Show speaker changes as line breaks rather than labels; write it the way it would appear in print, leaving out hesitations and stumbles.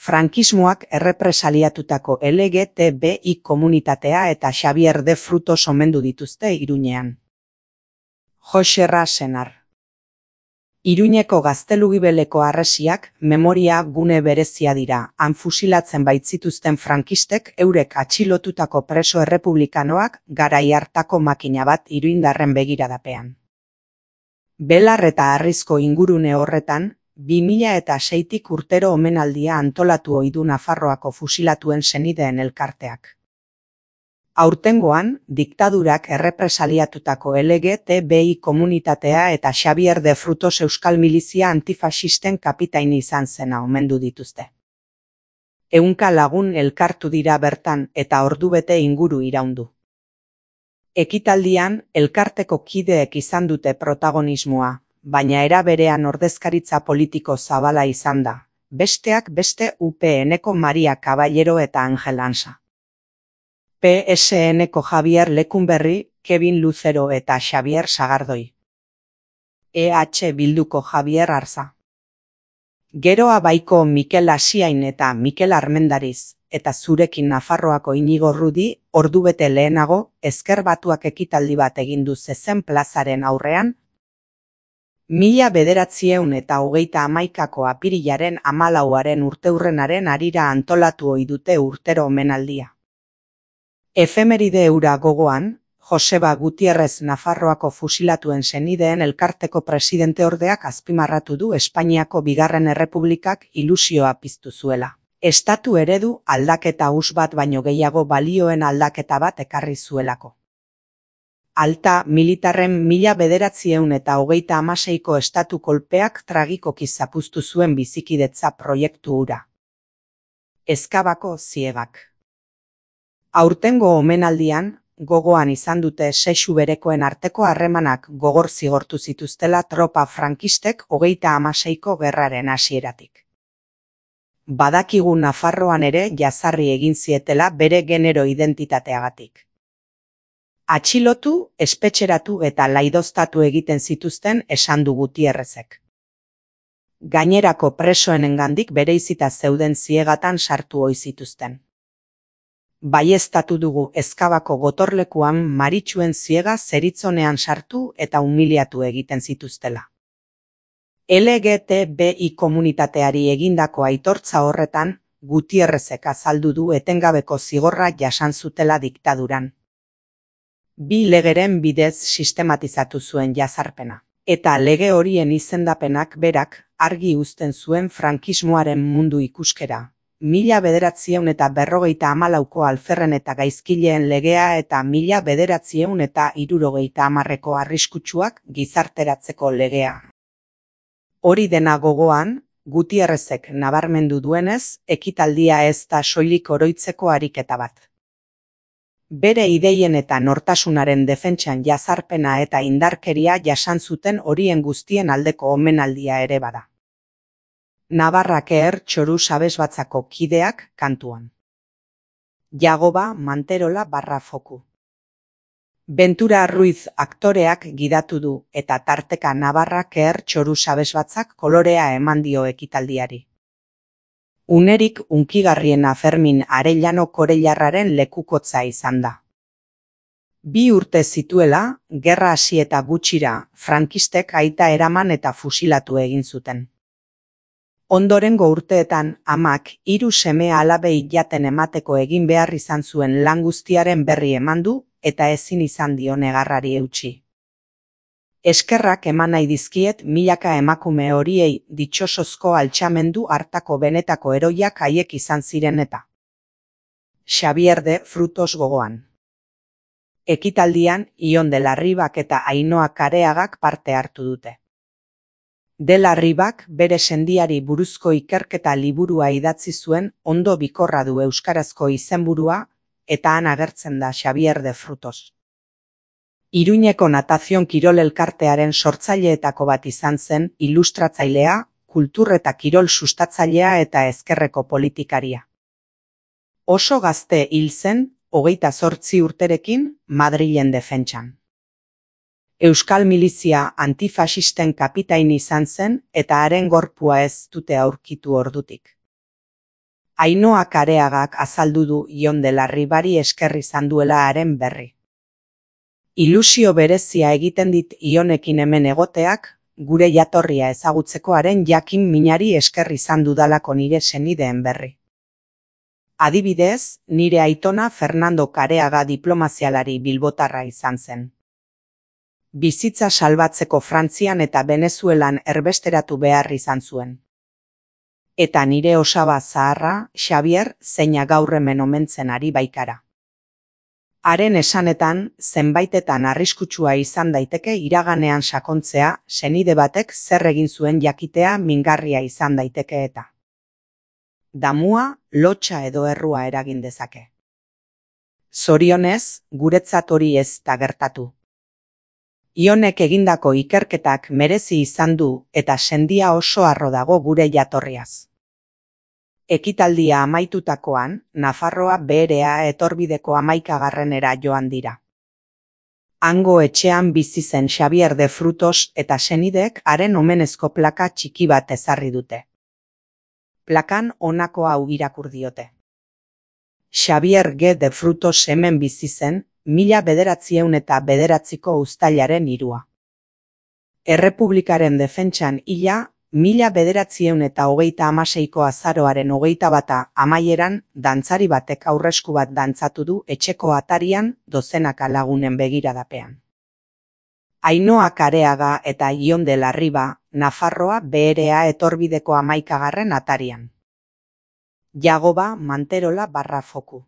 Frankismoak errepresaliatutako LGTBI komunitatea eta Xabier de Frutos omendu dituzte Iruñean. Joxerra Senar. Iruñeko Gaztelugibeleko harresiak memoria gune berezia dira, han fusilatzen baitzituzten frankistek eurek atxilotutako preso errepublikanoak garai hartako makina bat iruindarren begiradapean. Belar eta Harrizko ingurune horretan, 2006tik urtero omenaldia antolatu ohi du Nafarroako fusilatuen senideen elkarteak. Aurtengoan, diktadurak errepresaliatutako LGTBI komunitatea eta Xabier de Frutos euskal milizia antifaxisten kapitain izan zena omendu dituzte. 100 lagun elkartu dira bertan eta ordubete inguru iraundu. Ekitaldian, elkarteko kideek izan dute protagonismoa, baina era berean ordezkaritza politiko zabala izan da, besteak beste UPNeko Maria Caballero eta Angel Ansa. PSNeko Javier Lecumberri, Kevin Lucero eta Xabier Sagardoi. EH Bilduko Javier Arza. Geroa Baiko Mikel Asiain eta Mikel Armendariz, eta zurekin Nafarroako Inigo Rudi, ordubete lehenago, Ezker Batuak ekitaldi bat egindu Zezen plazaren aurrean, 1931ko apirilaren 14 urteurrenaren harira antolatu ohi dute urtero omenaldia. Efemeride hura gogoan, Joseba Gutierrez Nafarroako fusilatuen senideen elkarteko presidenteordeak azpimarratu du Espainiako Bigarren Errepublikak ilusioa piztu zuela. Estatu eredu aldaketa hus bat baino gehiago balioen aldaketa bat ekarri zuelako. Alta militarren 1936ko estatu kolpeak tragikoki zapuztu zuen bizikidetza proiektu hura. Ezkabako ziegak. Aurtengo omenaldian, gogoan izan dute sexu berekoen arteko harremanak gogor zigortu zituztela tropa frankistek 36ko gerraren hasieratik. Badakigu Nafarroan ere jazarri egin zietela bere genero identitateagatik. Atxilotu, espetxeratu eta laidoztatu egiten zituzten esan du Gutierrezek. Gainerako presoenengandik bereizita zeuden ziegatan sartu ohi zituzten. Baieztatu dugu Ezkabako gotorlekuan Maritxuen ziega zeritzonean sartu eta humiliatu egiten zituztela. LGTBI komunitateari egindako aitortza horretan, Gutierrezek azaldu du etengabeko zigorra jasan zutela diktaduran. 2 legeren bidez sistematizatu zuen jazarpena, eta lege horien izendapenak berak argi uzten zuen frankismoaren mundu ikuskera. 1954ko alferren eta gaizkileen legea eta 1970ko arriskutsuak gizarteratzeko legea. Hori dena gogoan, Gutierrezek nabarmendu duenez, ekitaldia ez da soilik oroitzeko ariketa bat. Bere ideien eta nortasunaren defentsan jazarpena eta indarkeria jasan zuten horien guztien aldeko omenaldia ere bada. Navarraker Txoru Sabesbatzako kideak kantuan. Jagoba Manterola _foku. Ventura Ruiz aktoreak gidatu du eta tarteka Navarraker Txoru Sabesbatzak kolorea eman dio ekitaldiari. Unerik unkigarriena Fermin Arellano Korellarraren lekukotza izan da. 2 urte zituela, gerra hasi eta gutxira, frankistek aita eraman eta fusilatu egin zuten. Ondorengo urteetan, amak 3 seme alabei jaten emateko egin behar izan zuen lan guztiaren berri eman du eta ezin izan dio negarrari eutsi. Eskerrak eman nahi dizkiet milaka emakume horiei ditxosozko altxamendu hartako benetako heroiak haiek izan ziren eta. Xabier de Frutos gogoan. Ekitaldian, Ion de la Ribak eta Ainhoa Kareagak parte hartu dute. De la Ribak bere sendiari buruzko ikerketa liburua idatzi zuen ondo bikorra du euskarazko izenburua eta han agertzen da Xabier de Frutos. Iruñeko Natazion Kirol elkartearen sortzaileetako bat izan zen ilustratzailea, kultur eta kirol sustatzailea eta ezkerreko politikaria. Oso gazte hil zen, 28 urterekin, Madrilen defentsan. Euskal milizia antifaxisten kapitain izan zen eta haren gorpua ez dute aurkitu ordutik. Ainhoa Kareagak azaldu du Ion de Larribari esker izan duela haren berri. Ilusio berezia egiten dit Ionekin hemen egoteak, gure jatorria ezagutzeko haren jakin minari esker izan dudalako nire senideen berri. Adibidez, nire aitona Fernando Kareaga diplomazialari bilbotarra izan zen. Bizitza salbatzeko Frantzian eta Venezuelan erbesteratu behar izan zuen. Eta nire osaba zaharra, Xabier, zeina gaur hemen omentzen ari baikara. Haren esanetan, zenbaitetan arriskutsua izan daiteke iraganean sakontzea, senide batek zer egin zuen jakitea mingarria izan daiteke eta. Damua, lotsa edo errua eragin dezake. Zorionez, guretzat hori ez da gertatu. Ionek egindako ikerketak merezi izan du eta sendia oso harro dago gure jatorriaz. Ekitaldia amaitutakoan, Nafarroa berea etorbideko 11. joan dira. Hango etxean bizi zen Xabier de Frutos eta senidek haren omenezko plaka txiki bat ezarri dute. Plakan honako hau irakur diote. Xabier G. de Frutos hemen bizi zen, 1909ko uztailaren 3. Errepublikaren defentsan hila, 1936ko azaroaren 21 amaieran, dantzari batek aurresku bat dantzatu du etxeko atarian dozenaka lagunen begiradapean. Ainhoa Kareaga eta Ion de Larriba, Nafarroa berea etorbideko 11. atarian. Jagoba Manterola /Foku